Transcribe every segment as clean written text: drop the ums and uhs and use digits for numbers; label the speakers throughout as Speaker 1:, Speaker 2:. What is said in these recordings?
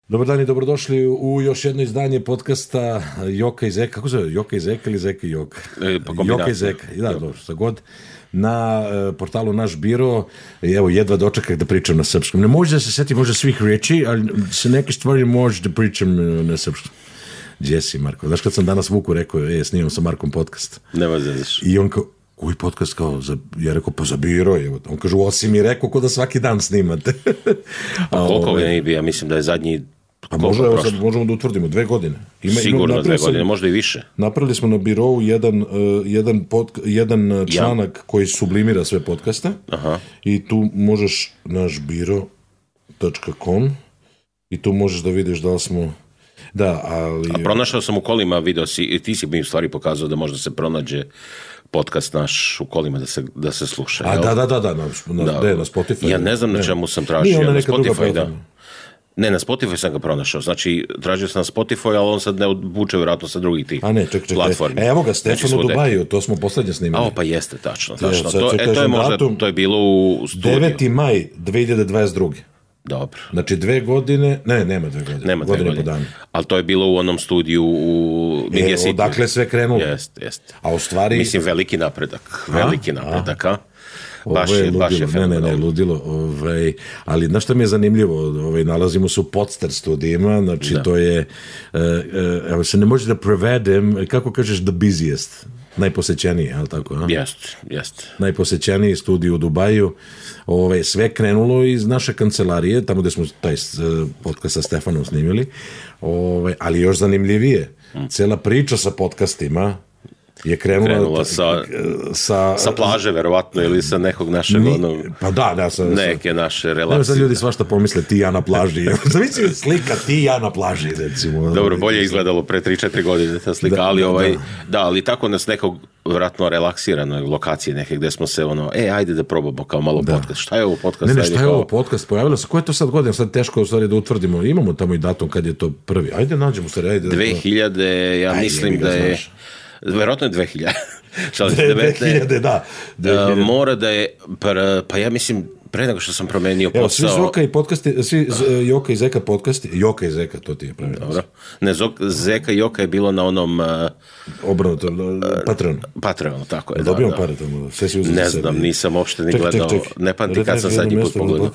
Speaker 1: Dobar dan i dobrodošli u još jedno izdanje podcasta Joka i Zeka. Kako se zove? Joka i Zeka ili Zeka i Joka? Joka i Zeka. Da, dobro, šta god. Na portalu Naš biro. Evo, jedva dočekaj da pričam na srpskom. Ne može da se seti možda svih reči, ali se neke stvari može da pričam na srpskom. Gdje si, Marko? Znaš kad sam danas Vuku rekao, snimam sa Markom podcast.
Speaker 2: Nema zadiš.
Speaker 1: I on kao, koji podcast kao, ja rekao, pa za biro je. On kaže, osim mi rekao ko da svaki dan snimate.
Speaker 2: A koliko je bio? Ja mislim da je zadnji...
Speaker 1: Pa možemo da utvrdimo, 2 godine.
Speaker 2: Sigurno 2 godine, možda i više.
Speaker 1: Napravili smo na birovu jedan članak koji sublimira sve podcaste.
Speaker 2: Aha.
Speaker 1: I tu možeš našbiro.com i tu možeš da vidiš da li smo... Da, ali...
Speaker 2: A pronašao sam u kolima video, ti si mi u stvari pokazao da možda se pronađe podcast naš u kolima da se sluša.
Speaker 1: A da, na Spotify.
Speaker 2: Ja ne znam na čemu sam tražio. Na Spotify, da. Ne, na Spotify sam ga pronašao. Znači, tražio sam na Spotify, ali on sad ne odvuče vjerojatno sa drugih tih platformi.
Speaker 1: Evo ga, Stefan u Dubaju, to smo poslednje snimali.
Speaker 2: Pa jeste, tačno. To je možda, to je bilo u studiju.
Speaker 1: 9. maj 2022.
Speaker 2: Dobro.
Speaker 1: Znači 2 godine, nema 2 godine.
Speaker 2: Nema 2 godine. Po danu. Ali to je bilo u onom studiju u Media City.
Speaker 1: Odakle sve krenulo.
Speaker 2: Jeste.
Speaker 1: A u stvari...
Speaker 2: Mislim, veliki napredak, a? Baš je
Speaker 1: ne, ludilo. Ali znaš što mi je zanimljivo? Nalazimo se u Podster studijima, znači to je, evo se ne može da prevedem, kako kažeš the busiest, najposećeniji, je li tako?
Speaker 2: Jest.
Speaker 1: Najposećeniji studij u Dubaju. Sve krenulo iz naše kancelarije, tamo gde smo taj podcast sa Stefanom snimili, ali još zanimljivije, cela priča sa podcastima je krenula
Speaker 2: sa plaže, verovatno, ili sa nekog našeg neke naše relacije.
Speaker 1: Sad ljudi svašta pomisle ti ja na plaži. Zavisi slika ti ja na plaži, recimo.
Speaker 2: Dobro, bolje izgledalo pre 3-4 godine ta slika, ali tako nas nekog vjerojatno relaksiranoj lokaciji neke gde smo se ajde da probamo kao malo podcast. Šta je ovo podcast?
Speaker 1: Šta je ovo podcast? Pojavilo se, ko je to sad godina? Sad teško u stvari da utvrdimo. Imamo tamo i datum kad je to prvi. Ajde nađemo se.
Speaker 2: 2000, ja mislim da je... Verovatno je 2000.
Speaker 1: 2000, da.
Speaker 2: Mora da je, pa ja mislim, pre nego što sam promenio posao...
Speaker 1: Svi Joka i Zeka podcasti, Joka i Zeka, to ti je pravilno.
Speaker 2: Dobro. Ne, Zeka i Joka je bilo na onom...
Speaker 1: Obrnuto,
Speaker 2: Patreon, tako je.
Speaker 1: Dobijamo pare tamo, sve si uzeti za sebe.
Speaker 2: Ne znam, nisam uopšte ni gledao, ne pamtim kad sam zadnji put pogledao.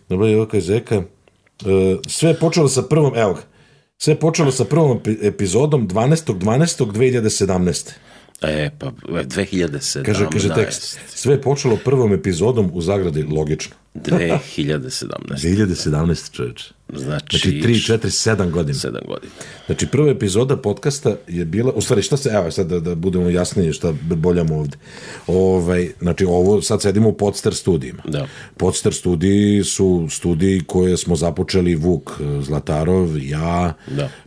Speaker 1: Dobro, Joka i Zeka, sve je počelo sa prvom, evo ga, sve je počelo sa prvom epizodom 12.12.2017.
Speaker 2: Pa 2017.
Speaker 1: Kaže tekst. Sve je počelo prvom epizodom u zagradi, logično. 2017, čovječe.
Speaker 2: Znači
Speaker 1: 3, 4, 7 godina.
Speaker 2: 7 godina.
Speaker 1: Znači prva epizoda podcasta je bila, u stvari šta se, evo sad da budemo jasniji šta boljamo ovde. Znači ovo, sad sedimo u Podster studijima.
Speaker 2: Da.
Speaker 1: Podster studiji su studiji koje smo započeli Vuk Zlatarov, ja,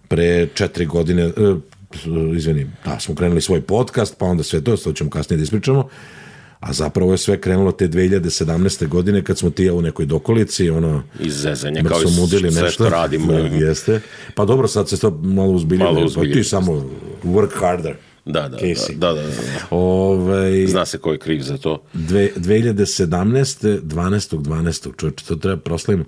Speaker 1: pre 4 godine, smo krenuli svoj podcast, pa onda sve to ćemo kasnije da ispričamo, a zapravo je sve krenulo te 2017. godine kad smo ti u nekoj dokolici,
Speaker 2: iz zezanja, kao i sve što radimo.
Speaker 1: Jeste. Pa dobro, sad se to malo uzbiljuje, pa ti samo work harder.
Speaker 2: Da. Zna se ko je kriv za to.
Speaker 1: 2017. 12.12. Čovječe, to treba proslavimo.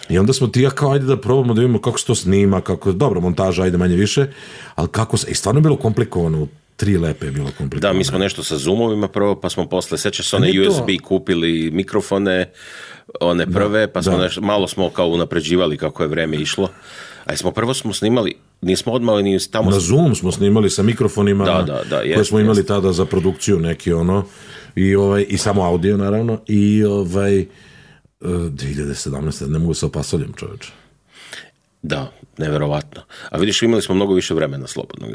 Speaker 1: I onda smo ti ja kao, ajde da probamo da vidimo kako se to snima, dobro, montaža, ajde manje više, ali kako se, i stvarno je bilo komplikovano, 3 lepe je bilo komplikovano.
Speaker 2: Da, mi smo nešto sa Zoomovima prvo, pa smo posle, sećaš se one USB kupili mikrofone, one prve, pa smo malo smo kao unapređivali kako je vreme išlo. A prvo smo snimali, nismo odmah ni tamo...
Speaker 1: Na Zoom smo snimali sa mikrofonima koje smo imali tada za produkciju neki i samo audio naravno i 2017. ne mogu se opasoljam, čovječe.
Speaker 2: Da, neverovatno. A vidiš, imali smo mnogo više vremena slobodnog.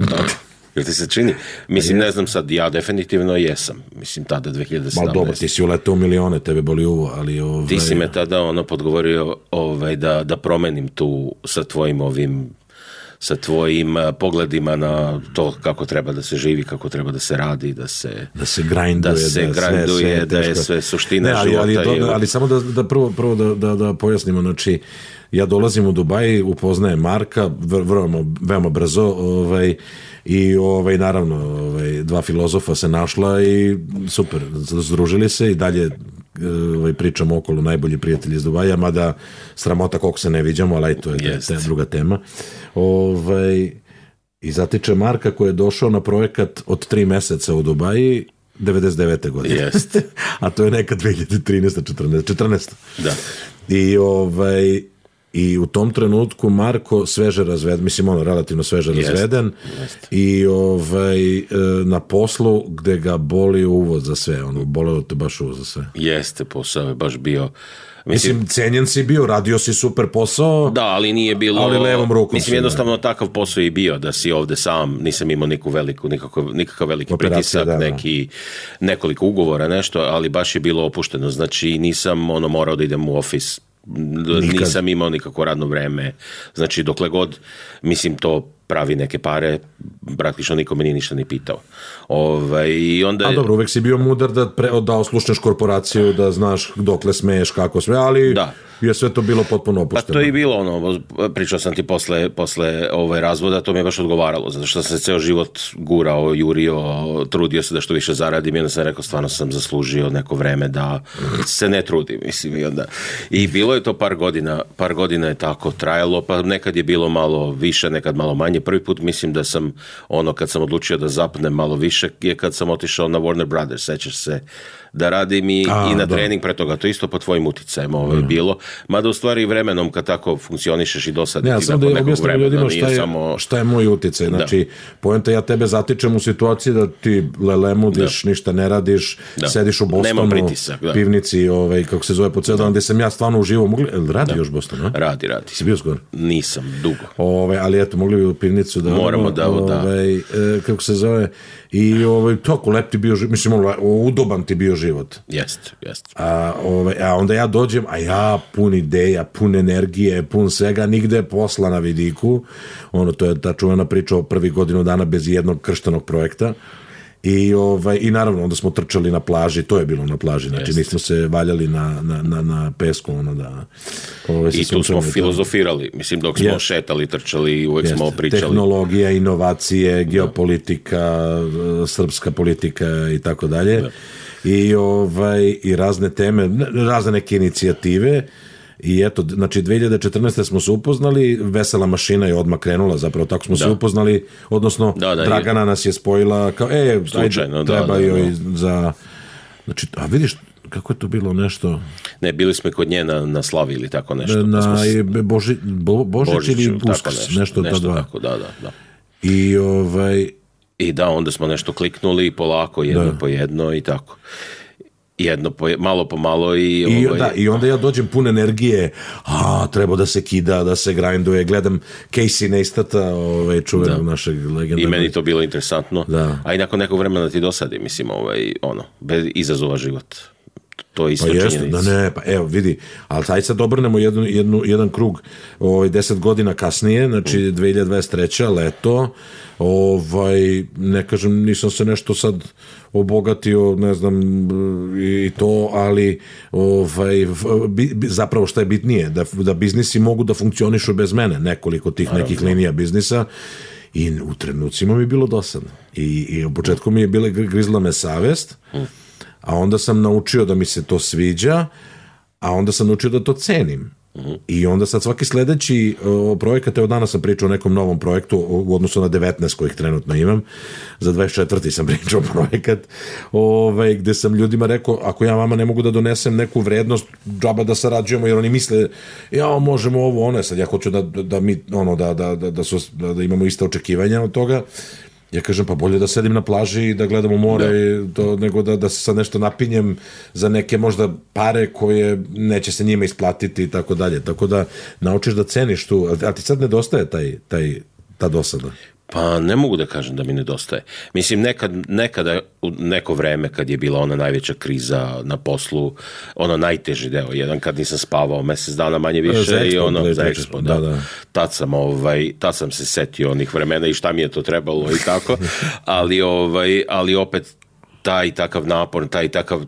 Speaker 2: Jel ti se čini? Mislim, ne znam sad, ja definitivno jesam. Mislim, tada 2017.
Speaker 1: Malo dobro, ti si uletao milione, tebe boli uvo, ali...
Speaker 2: Ti si me tada podgovorio da promenim tu sa tvojim pogledima na to kako treba da se živi, kako treba da se radi, da se grinduje, da je sve suština života.
Speaker 1: Ali samo da prvo da pojasnimo, znači, ja dolazim u Dubaj, upoznajem Marka, veoma brzo, i naravno 2 filozofa se našla i super, združili se i dalje pričamo okolo najbolji prijatelji iz Dubaja, mada sramota koliko se ne viđamo, ali to je druga tema. I zatiče Marka koji je došao na projekat od 3 meseca u Dubaji 99. godine. A to je neka 2013. 14.
Speaker 2: Da.
Speaker 1: I u tom trenutku Marko sveže razveden, mislim relativno sveže razveden i na poslu gde ga boli uvod za sve, boleo te baš uvod za sve.
Speaker 2: Jeste, posao je baš bio...
Speaker 1: Mislim, cenjen si bio, radio si super posao,
Speaker 2: da, ali nije bilo...
Speaker 1: Ali levom rukom.
Speaker 2: Mislim, jednostavno takav posao i bio, da si ovde sam, nisam imao nikakav veliki pritisak, nekoliko ugovora, nešto, ali baš je bilo opušteno. Znači, nisam morao da idem u ofis, nisam imao nikako radno vreme. Znači, dokle god, mislim, to pravi neke pare, praktično niko me nije ništa ni pitao. I onda...
Speaker 1: A dobro, uvek si bio mudar da oslušneš korporaciju, da znaš dokle smeješ, kako sve, ali je sve to bilo potpuno opušteno.
Speaker 2: Pa to je bilo pričao sam ti posle razvoda, to mi je baš odgovaralo, zato što sam se ceo život gurao, jurio, trudio se da što više zaradim i onda sam rekao, stvarno sam zaslužio neko vreme da se ne trudim, mislim, i bilo je to par godina je tako trajalo, pa nekad je bilo malo više, nekad malo manje. Prvi put mislim da sam kad sam odlučio da zapnem malo više je kad sam otišao na Warner Brothers, sećaš se, da radim i na trening pre toga, to isto po tvojim uticajem bilo, mada u stvari vremenom kad tako funkcionišeš i dosadi ti
Speaker 1: da po nekog vremena nije samo... Šta je moj uticaj, znači poenta ja tebe zatičem u situaciji da ti lelemudiš, ništa ne radiš, sediš u Bostonu, pivnici, kako se zove po ceo dan, gde sam ja stvarno uživo, radi još Boston, a?
Speaker 2: Radi.
Speaker 1: Si bio skoro?
Speaker 2: Nisam, dugo.
Speaker 1: Ali eto, mogli bi u pivnicu da...
Speaker 2: Moramo da.
Speaker 1: Kako se zove... I toliko lep ti bio život, mislim, udoban ti bio život.
Speaker 2: Jest.
Speaker 1: A onda ja dođem, a ja pun ideja, pun energije, pun svega, nigde posla na vidiku. To je ta čuvena priča o prvih godinu dana bez jednog krštenog projekta. I naravno, onda smo trčali na plaži, to je bilo na plaži, znači nismo se valjali na pesku.
Speaker 2: I tu smo filozofirali, mislim, dok smo šetali, trčali, uvek smo pričali.
Speaker 1: Tehnologija, inovacije, geopolitika, srpska politika i tako dalje. I razne teme, razne neke inicijative. I eto, znači 2014. smo se upoznali, Vesela mašina je odmah krenula, zapravo tako smo se upoznali, odnosno Dragana nas je spojila kao, slučajno, treba joj za... Znači, a vidiš kako je to bilo nešto...
Speaker 2: Ne, bili smo kod nje na slavi ili tako nešto.
Speaker 1: Božić ili Uskrs, nešto
Speaker 2: tako, da. I onda smo nešto kliknuli polako, jedno po jedno i tako. Malo po malo
Speaker 1: i onda ja dođem pun energije, treba da se kida, da se grinduje, gledam Casey Neistata, čuvenog našeg legendarnog.
Speaker 2: I meni to bilo interesantno, a i nakon nekog vremena ti dosadi, mislim, bez izazova život. To je isto činjenica.
Speaker 1: Evo vidi, ali taj sad obrnemo jedan krug 10 godina kasnije, znači 2023. leto, ne kažem, nisam se nešto sad obogatio, ne znam, i to, ali zapravo šta je bitnije, da biznisi mogu da funkcionišu bez mene, nekoliko tih nekih linija biznisa, i u trenucima mi je bilo dosadno. I u početku mi je bila grizla me savest, a onda sam naučio da mi se to sviđa, a onda sam naučio da to cenim. I onda sad svaki sledeći projekat, evo danas sam pričao o nekom novom projektu u odnosu na 19 kojih trenutno imam, za 24. sam pričao projekat, gde sam ljudima rekao, ako ja vama ne mogu da donesem neku vrednost, džaba da sarađujemo, jer oni misle, možemo ovo, sad ja hoću da imamo ista očekivanja od toga. Ja kažem, pa bolje da sedim na plaži i da gledam u more, nego da se sad nešto napinjem za neke možda pare koje neće se njima isplatiti i tako dalje. Tako da naučiš da ceniš tu, a ti sad nedostaje ta dosada.
Speaker 2: Pa ne mogu da kažem da mi nedostaje. Mislim, nekada u neko vreme kad je bila ona najveća kriza na poslu, ono najteži deo, jedan kad nisam spavao mesec dana manje više za Expo, da. Tad sam se setio onih vremena i šta mi je to trebalo i tako, ali opet taj takav napor, taj takav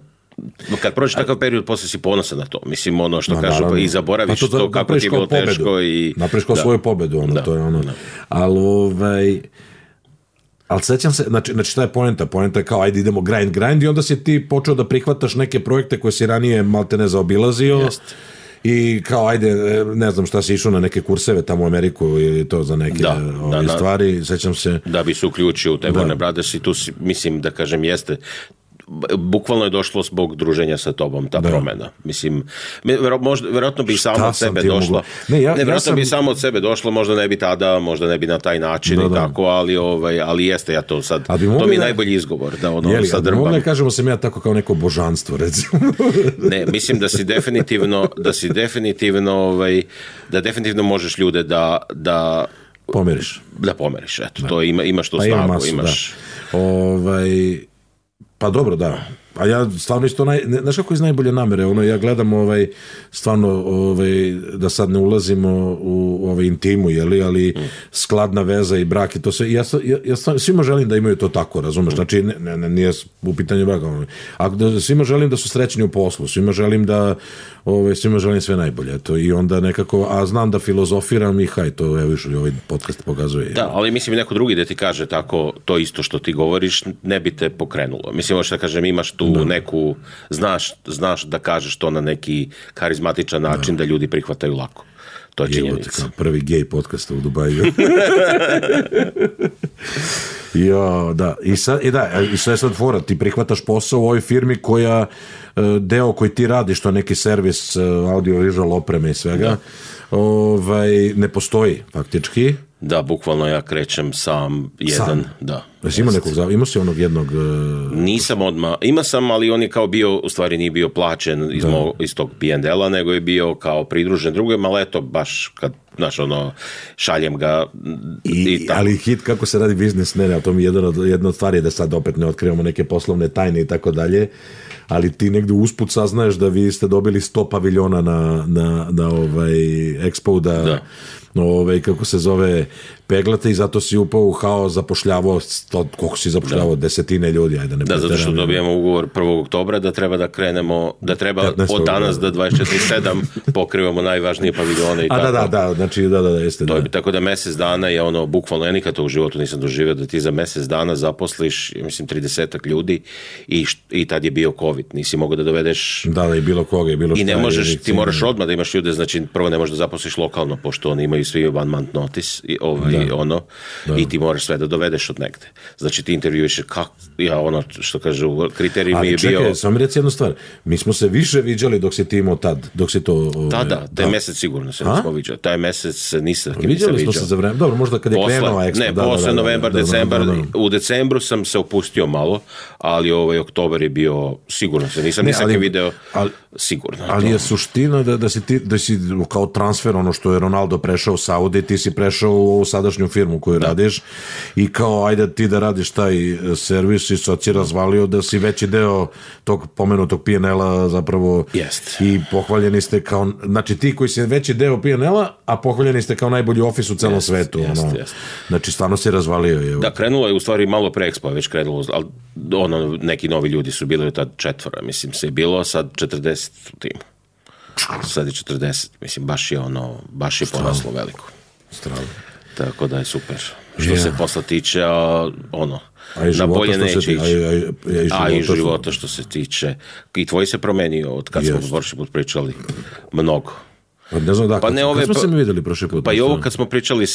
Speaker 2: kad prođe takav period, posle si ponosan na to. Mislim, što kažu, i zaboraviš to kako ti je bilo teško.
Speaker 1: Napraviš kao svoju pobedu, to je ono. Ali, Ali sećam se, znači šta je poenta? Poenta je kao, ajde idemo grind i onda si ti počeo da prihvataš neke projekte koje si ranije malte ne zaobilazio. I kao, ajde, ne znam šta si išao na neke kurseve tamo u Ameriku ili to za neke stvari, sećam se.
Speaker 2: Da bi se uključio u te Warner Brothers i tu si, mislim da kažem, jeste bukvalno je došlo zbog druženja sa tobom ta promena. Mislim, verovatno bi samo od sebe došlo. Verovatno bi samo od sebe došlo, možda ne bi tada, možda ne bi na taj način i tako, ali jeste ja to sad. To mi je najbolji izgovor. Da ono sad drbam.
Speaker 1: Mogli kažemo sam ja tako kao neko božanstvo, recimo.
Speaker 2: Ne, mislim da definitivno možeš ljude da
Speaker 1: pomeriš.
Speaker 2: Da pomeriš, eto. To imaš tu snagu, imaš.
Speaker 1: Pa dobro, da. A ja stvarno isto, znaš kako iz najbolje namere, ja gledam stvarno da sad ne ulazimo u intimu, ali skladna veza i brak i to sve. Ja svima želim da imaju to tako, razumeš? Znači, nije u pitanju braka. Svima želim da su srećni u poslu, svima želim svima želim sve najbolje. I onda nekako, a znam da filozofiram i to i ovaj podcast pokazuje.
Speaker 2: Da, ali mislim neko drugi da ti kaže tako to isto što ti govoriš, ne bi te pokrenulo. Mislim, možda kažem, imaš tu neku, znaš da kažeš to na neki karizmatičan način da ljudi prihvataju lako. To je činjenica.
Speaker 1: Prvi gej podcast u Dubaju. I sad je sad fora, ti prihvataš posao u ovoj firmi koja deo koji ti radiš, to je neki servis audio-visual opreme i svega, ne postoji faktički.
Speaker 2: Da, bukvalno ja krećem sam jedan. Da.
Speaker 1: Imao si onog jednog...
Speaker 2: Nisam odmah. Imao sam, ali on je kao bio, u stvari nije bio plaćen iz tog P&L-a, nego je bio kao pridružen drugom, ali eto, baš kad, šaljem ga i tako.
Speaker 1: Ali hit kako se radi biznis, a to mi je jedna od stvari da sad opet ne otkrivamo neke poslovne tajne i tako dalje, ali ti negdje usput saznaješ da vi ste dobili 100 paviljona na Expo da kako se zove, peglate i zato si upao u haos, zapošljavao, koliko si zapošljavao, desetine ljudi, ajde ne
Speaker 2: zato što dobijemo ugovor 1. oktobra da treba da krenemo, da treba od danas do 24/7 pokrivamo najvažnije paviljone i tako.
Speaker 1: Da, znači jeste.
Speaker 2: To je tako da mjesec dana je bukvalno, ja nikad to u životu nisam doživio, da ti za mjesec dana zaposliš, mislim, 30 ljudi i tad je bio COVID, nisi mogao da dovedeš...
Speaker 1: Da, i bilo koga, i bilo šta.
Speaker 2: I ne možeš, ti moraš odmah da imaš ljude, znači prvo ne možeš da zaposliš lokalno, pošto oni imaju svi one month notice i ti moraš sve da dovedeš od negde. Znači ti intervjuiš što kažu, kriterij mi je bio...
Speaker 1: Ali čekaj, samo reci jednu stvar, mi smo se više viđali dok si ti imao tad, dok si to...
Speaker 2: Taj mesec sigurno se nismo viđali, taj mesec nisam kim se viđao.
Speaker 1: Viđali smo se za vreme, dobro, možda kad je krenuo Expo.
Speaker 2: Ne, posle novembar, decembar, u decembru sam se opustio malo, ali oktobar je bio, sigurno se nisam video, sigurno.
Speaker 1: Ali je suština da si kao transfer, ono što je Ronaldo prešao u Saudi, ti si prešao u ovu sadašnju firmu koju radiš i kao ajde ti da radiš taj servis i sad si razvalio da si veći deo tog pomenutog P&L-a zapravo i pohvaljeni ste kao, znači ti koji si veći deo P&L-a, a pohvaljeni ste kao najbolji ofis u celom svetu. Znači stvarno si razvalio.
Speaker 2: Da, krenulo je u stvari malo pre Expo, već krenulo, ali neki novi ljudi su bili tad 4, mislim se je bilo, sad 40 u timu. Sad je 40, mislim, baš je poraslo veliko.
Speaker 1: Strano.
Speaker 2: Tako da je super. Što se posla tiče, na bolje neće ići. I života što se tiče. I tvoj se promenio od kad smo prošli put pričali. Mnogo.
Speaker 1: Ne znam kad smo se mi vidjeli prošli put.
Speaker 2: Pa i ovo kad smo pričali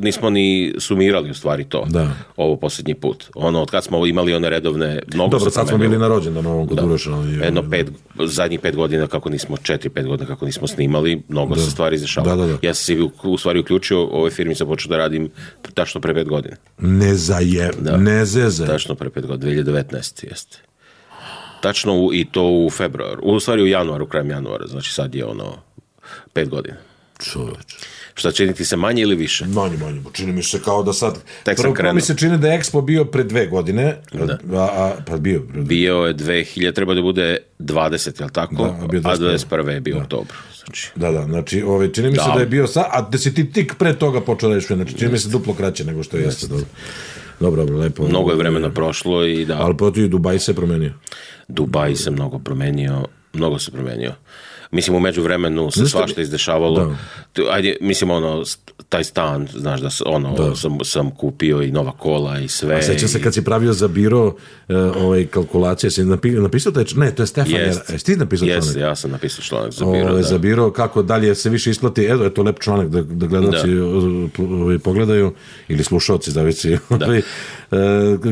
Speaker 2: nismo ni sumirali u stvari to. Da. Ovo posljednji put. Od kad smo imali one redovne, mnogo
Speaker 1: dobro, sad smo bili na rođendan ovom kod Uroša.
Speaker 2: Zadnjih 5 godina kako nismo, 4-5 godina kako nismo snimali, mnogo se stvari izdešavalo. Ja sam se u stvari uključio, u ovoj firmi sam počeo da radim tačno pre 5 godina.
Speaker 1: Ne zeze.
Speaker 2: Tačno pre 5 godina, 2019. jeste. Tačno i to u februaru, u stvari u januaru, krajem januara, znači sad je 5 godina.
Speaker 1: Čoveč.
Speaker 2: Šta, čini ti se manje ili više?
Speaker 1: Manje. Čini mi se kao da sad... Prvo mi se čini da je Expo bio pre 2 godine. Pa bio.
Speaker 2: Bio je 2000, treba da bude 20, jel tako? A 21. je bio oktobar.
Speaker 1: Da, znači čini mi se da je bio sad, a da si ti tik pre toga počeo da rešuje, znači čini mi se duplo kraće nego što jeste. Dobro, lepo.
Speaker 2: Mnogo je vremena prošlo i da...
Speaker 1: Ali protiv Dubaj se promenio.
Speaker 2: Dubaj se mnogo se promenio. Mislim, u međuvremenu se svašta izdešavalo. Ajde, mislim, taj stan, znaš, sam kupio i nova kola i sve.
Speaker 1: A sećam se kad si pravio za biro kalkulacije, si napisao taj članak? Ne, to je Stefan. Jesi ti napisao članak?
Speaker 2: Ja sam napisao članak za biro.
Speaker 1: Za biro, kako dalje se više isplati, je to lep članak da gledalci pogledaju, ili slušalci, zavisi.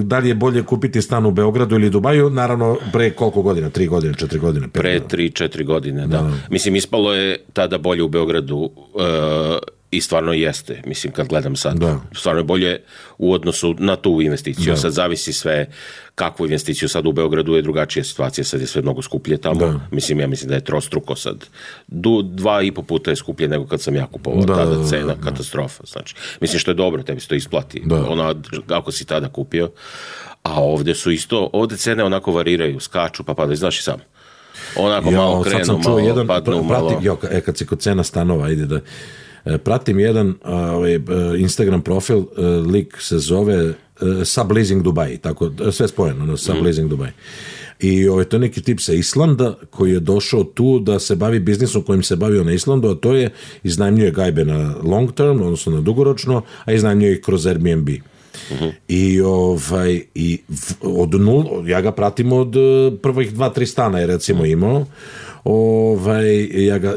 Speaker 1: Da li je bolje kupiti stan u Beogradu ili Dubaju, naravno pre koliko godina, 3 godine, 4 godine?
Speaker 2: Pre 3-4 godine, da. Mislim, ispalo je tada bolje u Beogradu i stvarno jeste, mislim, kad gledam sad. Stvarno je bolje u odnosu na tu investiciju. Sad zavisi sve kakvu investiciju. Sad u Beogradu je drugačija situacija, sad je sve mnogo skuplje tamo. Mislim, ja mislim da je trostruko sad. 2,5 puta je skuplje nego kad sam ja kupovao. Tada cena, katastrofa. Znači, mislim, što je dobro, tebi se to isplati. Ako si tada kupio. A ovde su isto, ovde cene onako variraju, skaču, pa padaju, znaš i sam. Onako malo krenu, malo padnu, malo...
Speaker 1: Kad si kod cena stanova, ide da... Pratim jedan Instagram profil, lik se zove Subleasing Dubai, tako, sve spojeno, Subleasing Dubai. I to je neki tip sa Islanda koji je došao tu da se bavi biznisom kojim se bavio na Islandu, a to je iznajmljuje gajbe na long term, odnosno na dugoročno, a iznajmljuje ih kroz Airbnb. I od nul, ja ga pratim od prvih 2-3 stana je recimo imao,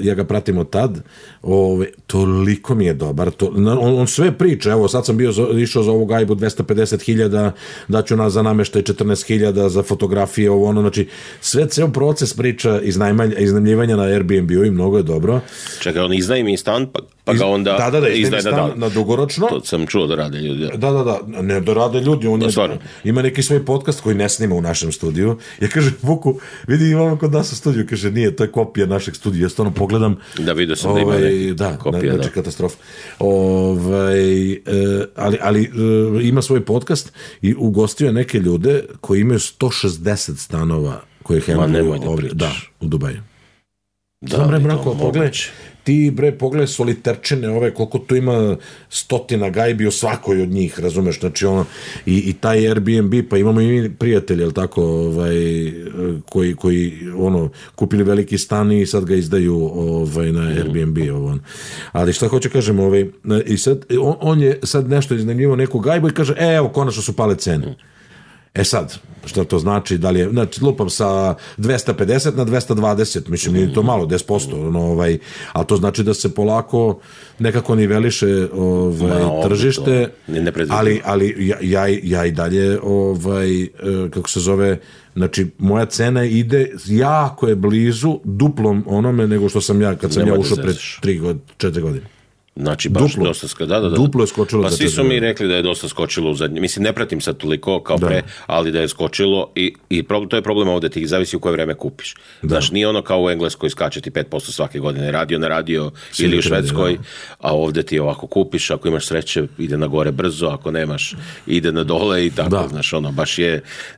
Speaker 1: ja ga pratim od tad, toliko mi je dobar, on sve priča, evo sad sam išao za ovu gajbu 250.000, daću za nameštaj 14.000, za fotografije, znači ceo proces priča iznajmljivanja na Airbnb-u i mnogo je dobro.
Speaker 2: Čekaj, on iznajmi stan, pa ga onda
Speaker 1: iznajmi stan na dugoročno.
Speaker 2: To sam čuo da rade ljudi.
Speaker 1: Ne da rade ljudi, on ima neki svoj podcast koji ne snima u našem studiju. Ja kažem Vuku, vidi imamo kod nas u studiju, kaže nije, to je kopija našeg studija, ja stvarno pogledam.
Speaker 2: Da, vidio sam da ima kopija,
Speaker 1: znači katastrofa. Ali ima svoj podcast i ugostio je neke ljude koji imaju 160 stanova koje hendluju u Dubaju. Pogledaj soliterčine koliko tu ima stotina gajbi u svakoj od njih, razumeš, znači i taj Airbnb, pa imamo i prijatelje, jel tako, koji kupili veliki stan i sad ga izdaju na Airbnb, ali šta hoću kažem, i sad on je sad nešto iznajmljivao neku gajbu i kaže, evo, konačno su pale cene. Sad, što to znači, da li je, znači, lupam sa 250 na 220, mislim, nije to malo, 10%, ali to znači da se polako nekako niveliše tržište, ali ja i dalje, kako se zove, znači, moja cena ide, jako je blizu duplom onome nego što sam ja, kad sam ja ušao pred 3-4 godine.
Speaker 2: Znači, baš dosta
Speaker 1: duplo je skočilo.
Speaker 2: Pa svi su mi rekli da je dosta skočilo u zadnje. Mislim, ne pratim sad toliko kao pre, ali da je skočilo i to je problem ovde, ti zavisi u koje vreme kupiš. Znaš, nije ono kao u Engleskoj skače ti 5% svake godine, radio na radio ili u Švedskoj, a ovde ti ovako kupiš, ako imaš sreće, ide na gore brzo, ako nemaš, ide na dole i tako, znaš, baš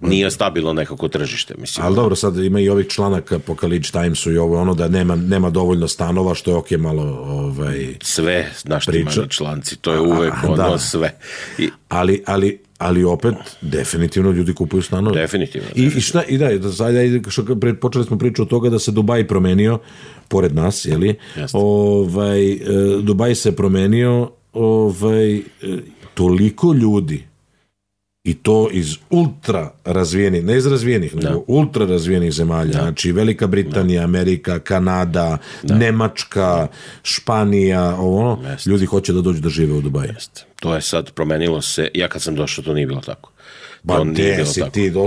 Speaker 2: nije stabilno nekako tržište, mislim.
Speaker 1: Ali dobro, sad ima i ovih članaka po College Timesu i da nema dovoljno stanova, što je okej malo
Speaker 2: sve naš timani članci, to je uvek sve.
Speaker 1: Ali opet, definitivno ljudi kupuju stanove.
Speaker 2: Definitivno.
Speaker 1: Počeli smo priču od toga da se Dubaj promenio, pored nas, jeli? Dubaj se promenio, toliko ljudi, i to iz ultra razvijenih, ne iz razvijenih, nego ultra razvijenih zemalja, znači Velika Britanija, Amerika, Kanada, Nemačka, Španija, ljudi hoće da dođu da žive u Dubaju.
Speaker 2: To je sad promenilo se, ja kad sam došao to nije bilo tako.
Speaker 1: Ba gde si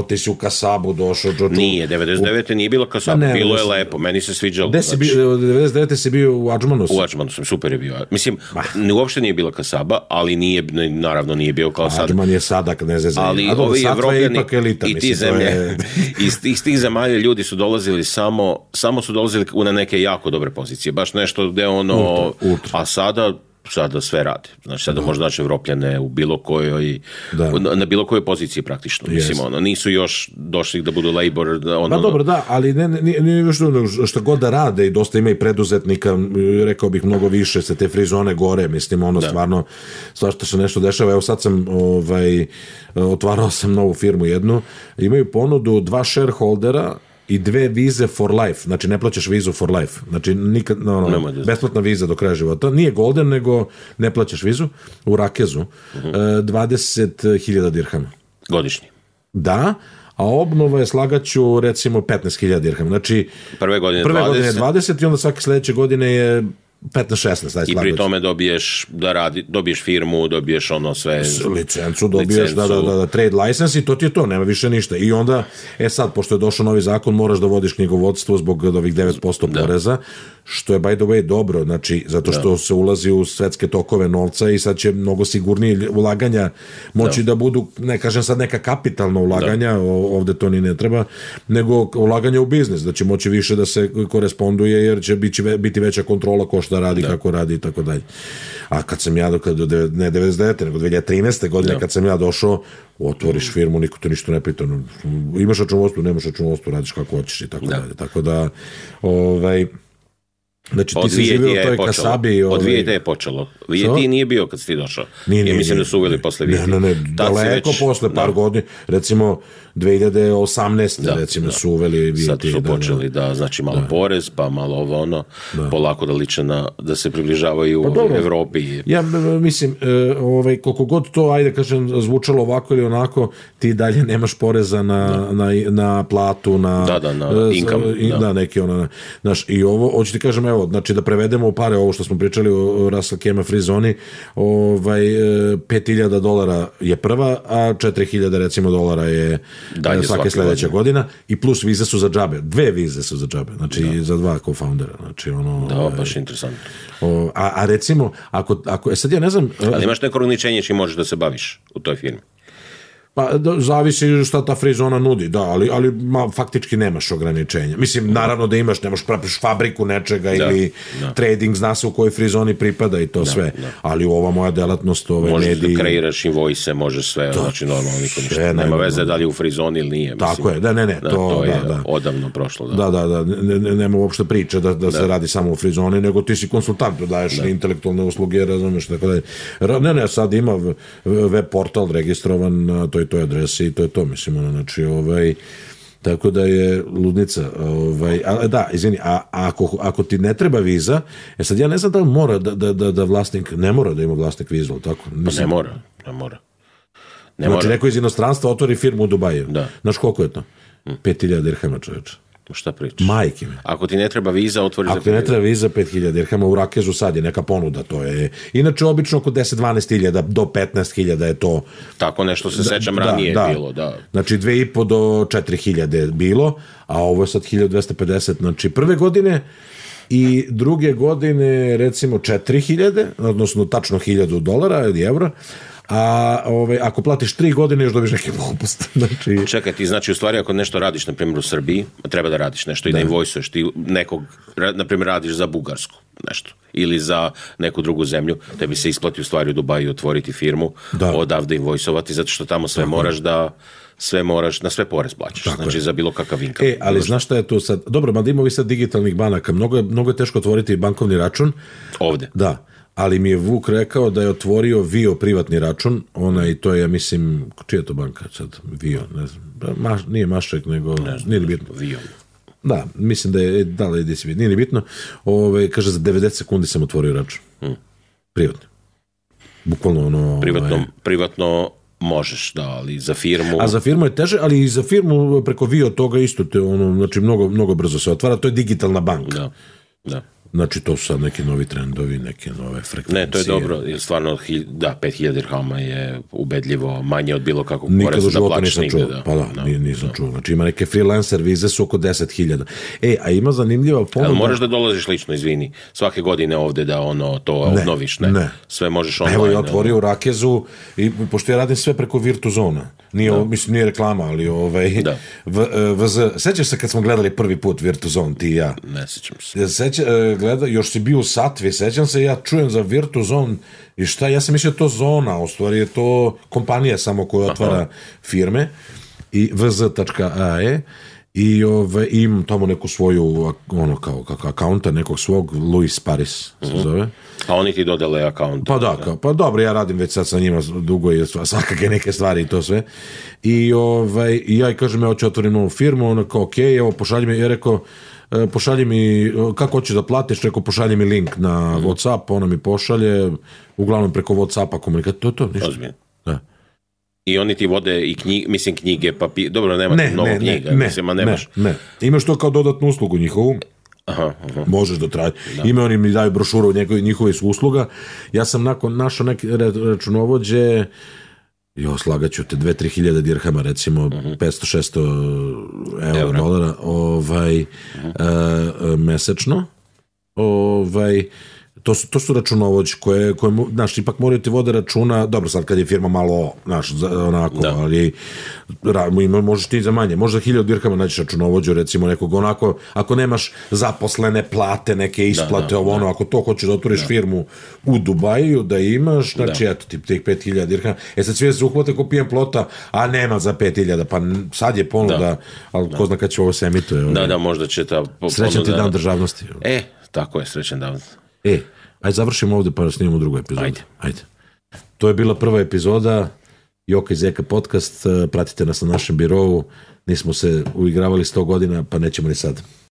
Speaker 1: ti si u Kasabu došao?
Speaker 2: Nije, 99. nije bilo Kasabu, bilo je lepo, meni se sviđalo.
Speaker 1: 99. si bio u Adžmanu?
Speaker 2: U Adžmanu sam, super je bio. Mislim, uopšte nije bila Kasaba, ali naravno nije bio kao sad.
Speaker 1: Adžman je Sadak, ne zezaj.
Speaker 2: Ali ovi Evropljani i ti zemlje, iz tih zemalja ljudi su dolazili samo su dolazili na neke jako dobre pozicije, baš nešto gde a sada sve rade. Znači, sada možda naći Evropljane u bilo kojoj, na bilo kojoj poziciji praktično. Mislim, nisu još došli da budu labor.
Speaker 1: Pa dobro, ali nije što god da rade i dosta ima i preduzetnika, rekao bih mnogo više se te frizone gore, mislim, stvarno svašta se nešto dešava. Evo sad sam otvarao sam novu firmu jednu, imaju ponudu 2 shareholdera i 2 vize for life, znači ne plaćaš vizu for life, znači nikad, besplatna viza do kraja života, nije golden, nego ne plaćaš vizu, u Rakezu, 20.000 dirhama.
Speaker 2: Godišnji.
Speaker 1: Da, a obnova je, slagaću, recimo 15.000 dirhama, znači
Speaker 2: prve godine
Speaker 1: 20 i onda svake sledeće godine je 15-16.
Speaker 2: I pri tome dobiješ firmu, dobiješ ono sve...
Speaker 1: Licencu dobiješ, da, trade license i to ti je to, nema više ništa. I onda, sad, pošto je došao novi zakon, moraš da vodiš knjigovodstvo zbog ovih 9% poreza, što je, by the way, dobro, znači, zato što se ulazi u svetske tokove novca i sad će mnogo sigurnije ulaganja moći da budu, ne kažem sad neka kapitalna ulaganja, ovde to ni ne treba, nego ulaganja u biznis, da će moći više da se koresponduje, jer će biti veća kontrola ko šta radi, kako radi i tako dalje. A kad sam ja, ne 99. nego 2013. godine, kad sam ja došao, otvoriš firmu, niko te ništa ne pita, imaš računovodstvo, nemaš računovodstvo, radiš kako hoćeš i tako dalje. Tako da, znači ti si živio u toj kasabi.
Speaker 2: Od 2000 je počelo. VT nije bio kad si ti došao. Ja mislim da su uveli posle VT.
Speaker 1: Ne, daleko posle par godina, recimo 2018. recimo su uveli VT.
Speaker 2: Sad su počeli znači malo porez, pa malo ovo ono, polako da liče da se približavaju u Evropi.
Speaker 1: Ja mislim, koliko god to, ajde kažem, zvučalo ovako ili onako, ti dalje nemaš poreza na platu, na
Speaker 2: income.
Speaker 1: Da, neki ono, znaš, i ovo, hoću ti kažem, evo, znači da prevedemo u pare ovo što smo pričali o Russell Kema free zoni, $5.000 je prva, a 4.000 recimo dolara je svake sledeća godina i plus vize su za džabe. 2 vize su za džabe, znači za 2 co-foundera. Znači
Speaker 2: baš interesantno.
Speaker 1: A recimo, ako sad ja ne znam...
Speaker 2: Ali imaš neko ograničenje čim možeš da se baviš u toj firmi?
Speaker 1: Pa zavisi šta ta free zona nudi, da, ali faktički nemaš ograničenja. Mislim, naravno da imaš, nemaš praviš fabriku nečega ili trading, zna se u kojoj free zoni pripada i to sve. Ali ova moja delatnost,
Speaker 2: možeš da kreiraš invoice, možeš sve, znači normalno niko ništa. Nema veze da li je u free zoni ili nije.
Speaker 1: Tako je,
Speaker 2: to je odavno prošlo.
Speaker 1: Da, nema uopšte priče da se radi samo u free zoni, nego ti si konsultant, daješ intelektualne usluge, razumeš, tako da. Ne, sad ima web portal registrovan na toj adresi i to je to, mislim, znači, tako da je ludnica, da, izvini, a ako ti ne treba viza, sad ja ne znam da li mora da vlasnik, ne mora da ima vlasnik vizu, ali tako?
Speaker 2: Pa ne mora.
Speaker 1: Znači, neko iz inostranstva otvori firmu u Dubaju. Znaš koliko je to? 5.000 dirhama, čoveče.
Speaker 2: Šta pričaš?
Speaker 1: Majke mi.
Speaker 2: Ako ti ne treba viza, otvori za 5.000.
Speaker 1: Ako ti ne treba viza, 5.000 dirhama, u Rakezu sad je neka ponuda, to je. Inače, obično oko 10-12.000 do 15.000 je to.
Speaker 2: Tako nešto se sećam ranije bilo, da.
Speaker 1: Znači, 2.500 do 4.000 bilo, a ovo je sad 1.250, znači prve godine i druge godine, recimo, 4.000, odnosno tačno $1.000 ili evra, a ako platiš 3 godine još dobiš neki popust.
Speaker 2: Čekaj, ti znači u stvari ako nešto radiš, na primjer u Srbiji, treba da radiš nešto i da invoicuješ, ti nekog, na primjer radiš za Bugarsku nešto ili za neku drugu zemlju, tebi se isplati u stvari u Dubaju otvoriti firmu, odavde invoicovati, zato što tamo sve moraš na sve porez plaćaš, znači za bilo kakav income.
Speaker 1: Ali znaš šta je tu sad? Dobro, mada ima vi sad digitalnih banaka, mnogo je teško otvoriti bankovni račun.
Speaker 2: Ovde?
Speaker 1: Da. Ali mi je Vuk rekao da je otvorio Vio privatni račun, i to je, ja mislim, čija je to banka sad? Vio, ne znam, nije Mašek, nego, nije li bitno.
Speaker 2: Vio.
Speaker 1: Da, mislim da je, nije li bitno, kaže, za 90 sekundi sam otvorio račun. Privatni. Bukvalno
Speaker 2: Privatno možeš, da, ali za firmu...
Speaker 1: A za firmu je teže, ali i za firmu preko Vio toga isto te, znači, mnogo brzo se otvara, to je digitalna banka.
Speaker 2: Da.
Speaker 1: Znači, to su sad neki novi trendovi, neke nove frekvencije.
Speaker 2: Ne, to je dobro, jer stvarno, 5.000 dirhama je ubedljivo manje od bilo kakvog poreza da plaćaš nigde.
Speaker 1: Nisam čuo. Znači, ima neke freelancer vize su oko 10.000. A ima zanimljiva ponuda...
Speaker 2: Ali moraš da dolaziš lično, izvini, svake godine ovde da to obnoviš, ne? Sve možeš online.
Speaker 1: Evo, ja otvorio u Rakezu i pošto ja radim sve preko Virtuzona. Mislim, nije reklama, ali sećaš se kad smo gledali prvi put Virtuzon, ti i ja?
Speaker 2: Ne sećam se.
Speaker 1: Još si bio u Satvi, sećam se, ja čujem za Virtuzon i šta, ja sam mislio to zona, u stvari je to kompanija samo koja otvara firme i vz.ae I imam tamo neku svoju, ono kao akaunta, nekog svog, Luis Paris se zove.
Speaker 2: A oni ti dodele akaunt.
Speaker 1: Pa da, pa dobro, ja radim već sad sa njima dugo i svakake neke stvari i to sve. I ja i kažem, ja hoću otvorim novu firmu, ono kao, okej, evo, pošalji mi, ja rekao, pošalji mi, kako hoćeš da platiš, rekao, pošalji mi link na WhatsApp, ona mi pošalje, uglavnom preko WhatsAppa komunikacija, to, ništa.
Speaker 2: Ozbiljno. Da. I oni ti vode i knjige, papir, dobro, nema mnogo knjiga.
Speaker 1: Ne. Imaš to kao dodatnu uslugu njihovu. Aha. Možeš da traži. Ime oni mi daju brošuru njihove su usluga. Ja sam našao neke računovođe, slagaću te 2-3 hiljada dirhama, recimo 500-600 eura, dolara, mesečno. To su računovođe koje znaš, ipak moraju ti vode računa, dobro, sad kad je firma malo, znaš, onako, ali možeš ti za manje, možda 1000 dirhama nađeš računovođu, recimo nekog onako, ako nemaš zaposlene plate, neke isplate, ako to hoćeš da otvoriš firmu u Dubaju, da imaš, znači, eto, tih 5000 dirhama, sad svi se uhvate ko pijem plota, a nema za 5000, pa sad je ponuda, ali ko zna kad će ovo se emituje.
Speaker 2: Da, možda će ta ponuda.
Speaker 1: Srećan ti dan državnosti.
Speaker 2: Tako je, srećan dan.
Speaker 1: Ajde, završimo ovdje pa snimamo drugu epizodu. Ajde. To je bila prva epizoda Joka i Zeka podcast. Pratite nas na našem birovu. Nismo se uigravali 100 godina, pa nećemo ni sad.